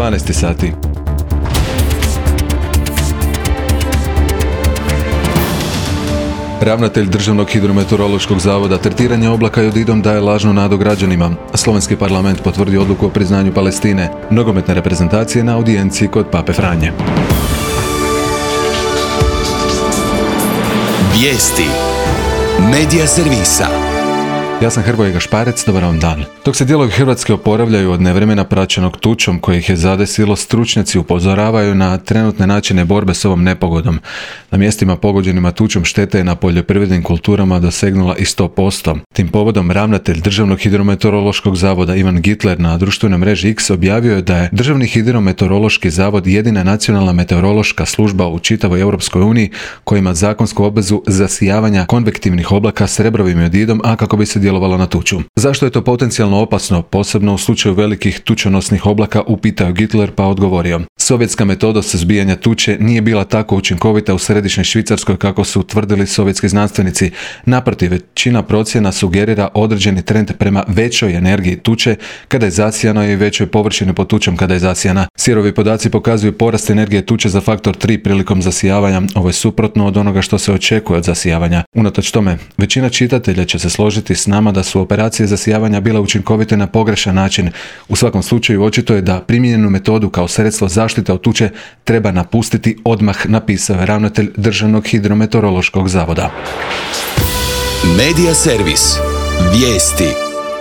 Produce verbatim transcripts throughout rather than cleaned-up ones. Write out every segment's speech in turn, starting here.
dvanaest sati. Ravnatelj Državnog hidrometeorološkog zavoda tretiranje oblaka jodidom daje lažnu nadu građanima. Slovenski parlament potvrdio odluku o priznanju Palestine. Nogometne reprezentacije na audijenciji kod Pape Franje. Vijesti Medija servisa. Ja sam Hrvoje Gašparec, dobar vam dan. Dok se dijelovi Hrvatske oporavljaju od nevremena praćenog tučom koje ih je zadesilo, stručnjaci upozoravaju na trenutne načine borbe s ovom nepogodom. Na mjestima pogođenima tučom šteta je na poljoprivrednim kulturama dosegnula i sto posto. Tim povodom ravnatelj Državnog hidrometeorološkog zavoda Ivan Gitler na društvenoj mreži X objavio je da je Državni hidrometeorološki zavod jedina nacionalna meteorološka služba u čitavoj Europskoj uniji koja ima zakonsku obvezu zasijavanja konvektivnih oblaka s srebrovim jodidom, a kako bi se djelovalo na tuču. Zašto je to potencijalno opasno, posebno u slučaju velikih tučonosnih oblaka, upitao Gitler pa odgovorio. Sovjetska metoda suzbijanja tuče nije bila tako učinkovita u središnjoj Švicarskoj kako su tvrdili sovjetski znanstvenici. Naprotiv, većina procjena sugerira određeni trend prema većoj energiji tuče kada je zasijano i većoj površini pod tučom kada je zasijana. Sirovi podaci pokazuju porast energije tuče za faktor tri prilikom zasijavanja. Ovo je suprotno od onoga što se očekuje od zasijavanja. Unatoč tome, većina čitatelja će se složiti s nama da su operacije zasijavanja bile učinkovite na pogrešan način. U svakom slučaju očito je da primijenjenu metodu kao sredstvo zaštite od tuče treba napustiti odmah, napisao je ravnatelj Državnog hidrometeorološkog zavoda. Medija servis. Vijesti.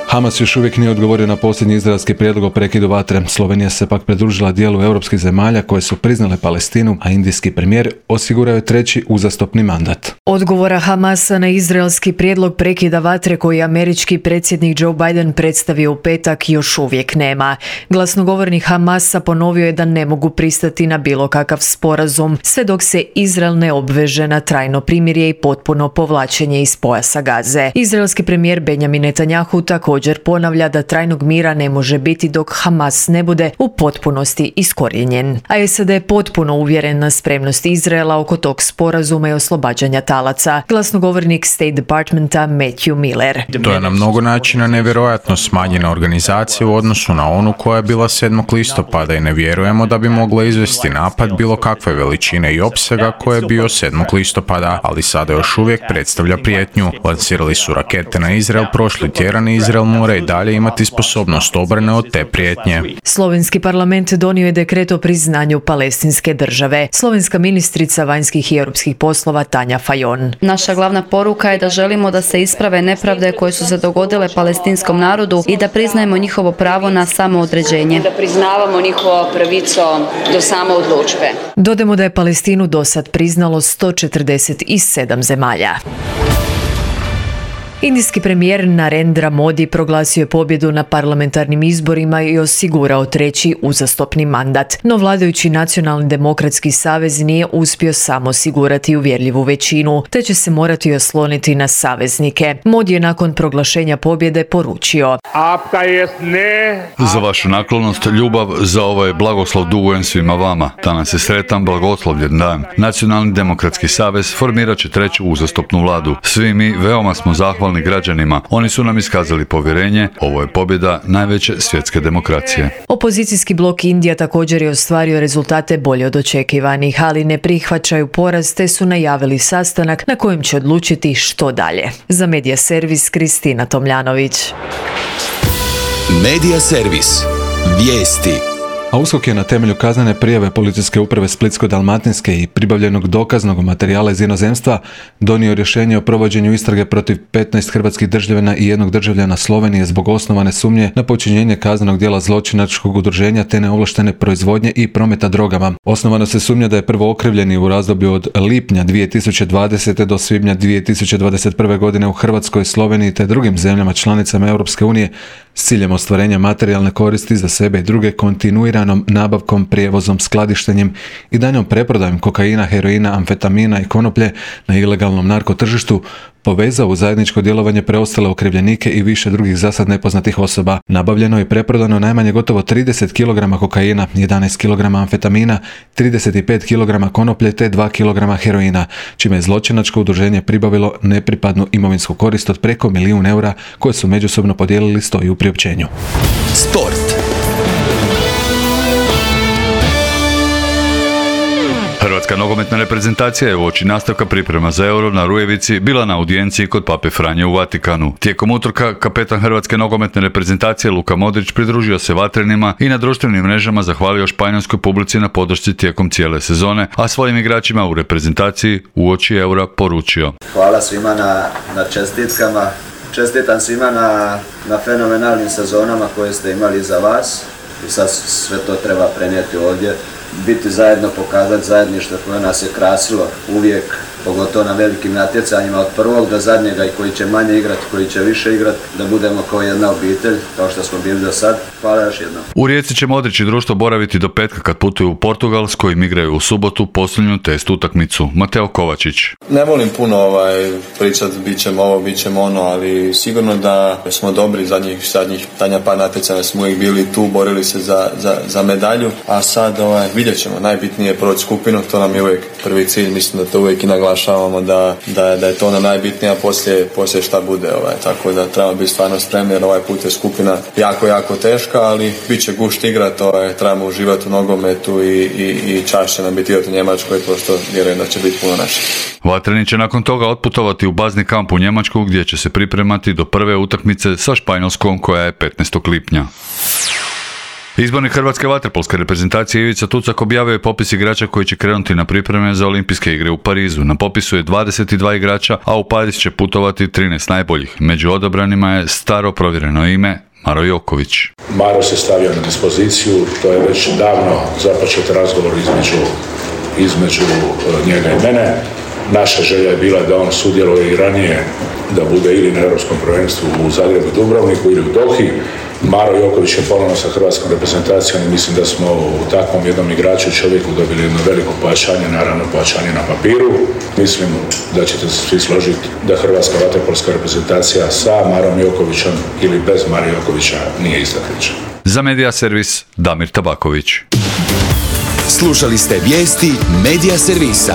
Hamas još uvijek nije odgovorio na posljednji izraelski prijedlog o prekidu vatre. Slovenija se pak pridružila dijelu europskih zemalja koje su priznale Palestinu, a indijski premijer osigurao je treći uzastopni mandat. Odgovora Hamasa na izraelski prijedlog prekida vatre koji je američki predsjednik Joe Biden predstavio u petak još uvijek nema. Glasnogovornik Hamasa ponovio je da ne mogu pristati na bilo kakav sporazum sve dok se Izrael ne obveže na trajno primirje i potpuno povlačenje iz pojasa Gaze. Izraelski premijer Benjamin Netanjahu također ponavlja da trajnog mira ne može biti dok Hamas ne bude u potpunosti iskorijenjen. A S A D je potpuno uvjeren na spremnost Izraela oko tog sporazuma i oslobađanja talaca. Glasnogovornik State Departmenta Matthew Miller. To je na mnogo načina nevjerojatno smanjena organizacija u odnosu na onu koja je bila sedmog listopada i ne vjerujemo da bi mogla izvesti napad bilo kakve veličine i opsega koje je bio sedmog listopada, ali sada još uvijek predstavlja prijetnju. Lansirali su rakete na Izrael prošli tjedan i Izrael mora i dalje imati sposobnost obrane od te prijetnje. Slovenski parlament donio je dekret o priznanju palestinske države. Slovenska ministrica vanjskih i europskih poslova Tanja Fajon. Naša glavna poruka je da želimo da se isprave nepravde koje su se dogodile palestinskom narodu i da priznajemo njihovo pravo na samoodređenje. Da priznavamo njihovo pravico do samoodlučbe. Dodajmo da je Palestinu dosad priznalo sto četrdeset sedam zemalja. Indijski premijer Narendra Modi proglasio je pobjedu na parlamentarnim izborima i osigurao treći uzastopni mandat. No vladajući Nacionalni demokratski savez nije uspio samo osigurati uvjerljivu većinu, te će se morati osloniti na saveznike. Modi je nakon proglašenja pobjede poručio: Za vašu naklonost, ljubav, za ovaj blagoslov dugujem svima vama. Danas je sretan, blagoslovljen dan. Nacionalni demokratski savez formirat će treću uzastopnu vladu. Svi mi veoma smo zahvalni građanima. Oni su nam iskazali povjerenje. Ovo je pobjeda najveće svjetske demokracije. Opozicijski blok Indija također je ostvario rezultate bolje od očekivanih, ali ne prihvaćaju poraz te su najavili sastanak na kojem će odlučiti što dalje. Za Medija servis Kristina Tomljanović. Medija servis. Vijesti. A U S K O K je na temelju kaznene prijave Policijske uprave Splitsko-dalmatinske i pribavljenog dokaznog materijala iz inozemstva donio rješenje o provođenju istrage protiv petnaest hrvatskih državljana i jednog državljana Slovenije zbog osnovane sumnje na počinjenje kaznenog djela zločinačkog udruženja te neovlaštene proizvodnje i prometa drogama. Osnovano se sumnja da je prvo okrivljeni u razdoblju od lipnja dvije tisuće dvadesete do svibnja dvije tisuće dvadeset prve godine u Hrvatskoj, Sloveniji te drugim zemljama članicama Europske unije s ciljem ostvarenja materijalne koristi za sebe i druge kontinuiranom nabavkom, prijevozom, skladištenjem i daljnjom preprodajom kokaina, heroina, amfetamina i konoplje na ilegalnom narkotržištu povezao u zajedničko djelovanje preostale okrivljenike i više drugih zasad nepoznatih osoba. Nabavljeno i preprodano najmanje gotovo trideset kilograma kokaina, jedanaest kilograma amfetamina, trideset pet kilograma konoplje te dva kilograma heroina, čime je zločinačko udruženje pribavilo nepripadnu imovinsku korist od preko milijun eura koje su međusobno podijelili, stoji u priopćenju. Sport. Hrvatska nogometna reprezentacija je uoči nastavka priprema za Euro na Rujevici bila na audijenciji kod Pape Franje u Vatikanu. Tijekom utorka kapetan Hrvatske nogometne reprezentacije Luka Modrić pridružio se vatrenima i na društvenim mrežama zahvalio španjolskoj publici na podršci tijekom cijele sezone, a svojim igračima u reprezentaciji uoči Eura poručio: Hvala svima na, na čestitkama. Čestitam svima na, na fenomenalnim sezonama koje ste imali za vas i sad sve to treba prenijeti ovdje. Biti zajedno, pokazati zajedništvo koje nas je krasilo uvijek, pogotovo na velikim natjecanjima od prvog do zadnjega, i koji će manje igrati, koji će više igrati, da budemo kao jedna obitelj, kao što smo bili do sad. Hvala još jednom. U Rijeci će Modrić i društvo boraviti do petka kad putuju u Portugal, s kojim igraju u subotu posljednju test utakmicu. Mateo Kovačić. Ne volim puno ovaj, pričati bit ćemo ovo, bit ćemo ono, ali sigurno da smo dobri zadnjih, zadnjih tanja par natjecanja, smo uvijek bili tu, borili se za, za, za medalju, a sad ovaj, vidjet ćemo, najbitnije je proći skupinu, to nam je uvijek prvi cilj, mislim da to uvijek i naglašavamo, da, da, da je to ono najbitnije, a poslije, poslije šta bude, ovaj, tako da trebamo biti stvarno spremni, jer ovaj put je skupina jako, jako teška, ali bit će gušt igrat, ovaj, trebamo uživati u nogometu i, i, i čast će nam biti igrati u Njemačkoj, pošto vjerujem da će biti puno naših. Vatreni će nakon toga otputovati u bazni kamp u Njemačku, gdje će se pripremati do prve utakmice sa Španjolskom, koja je petnaestog lipnja. Izbornik Hrvatske vaterpolske reprezentacije Ivica Tucak objavio je popis igrača koji će krenuti na pripreme za olimpijske igre u Parizu. Na popisu je dvadeset dva igrača, a u Pariz će putovati trinaest najboljih. Među odabranima je staro provjereno ime Maro Joković. Maro se stavio na dispoziciju, to je već davno započet razgovor između, između njega i mene. Naša želja je bila da on sudjeluje i ranije, da bude ili na Europskom prvenstvu u Zagrebu i Dubrovniku ili u Dohi. Maro Joković je ponovno sa hrvatskom reprezentacijom i mislim da smo u takvom jednom igraču čovjeku dobili jedno veliko pojačanje, naravno pojačanje na papiru. Mislim da ćete se svi složiti da hrvatska vaterpolska reprezentacija sa Marom Jokovićem ili bez Mara Jokovića nije ista priča. Za Medija Servis Damir Tabaković. Slušali ste vijesti Medija Servisa.